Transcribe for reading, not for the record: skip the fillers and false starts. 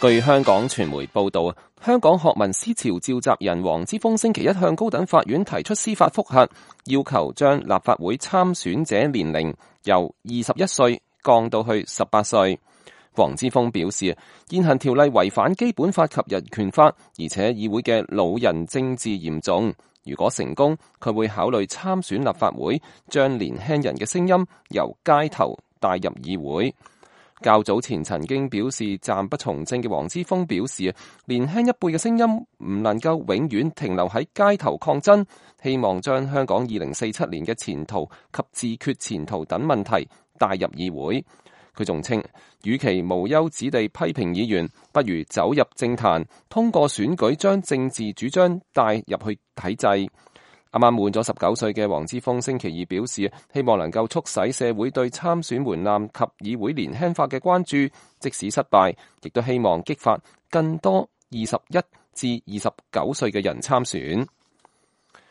據香港傳媒報道，香港學民思潮召集人黃之鋒星期一向高等法院提出司法覆核，要求將立法會參選者年齡由21歲降到去18歲。黃之鋒表示，現行條例違反基本法及人權法，而且議會嘅老人政治嚴重。如果成功，佢會考慮參選立法會，將年輕人嘅聲音由街頭帶入議會。較早前曾經表示暫不從政嘅黃之鋒表示，年輕一輩嘅聲音唔能夠永遠停留喺街頭抗爭，希望將香港2047年嘅前途及自決前途等問題帶入議會。佢仲稱，與其無休止地批評議員，不如走入政壇，通過選舉將政治主張帶入去體制。啱啱滿咗19歲嘅黃之鋒星期二表示，希望能夠促使社會對參選門檻及議會年輕化嘅關注，即使失敗，亦都希望激發更多21至29歲嘅人參選。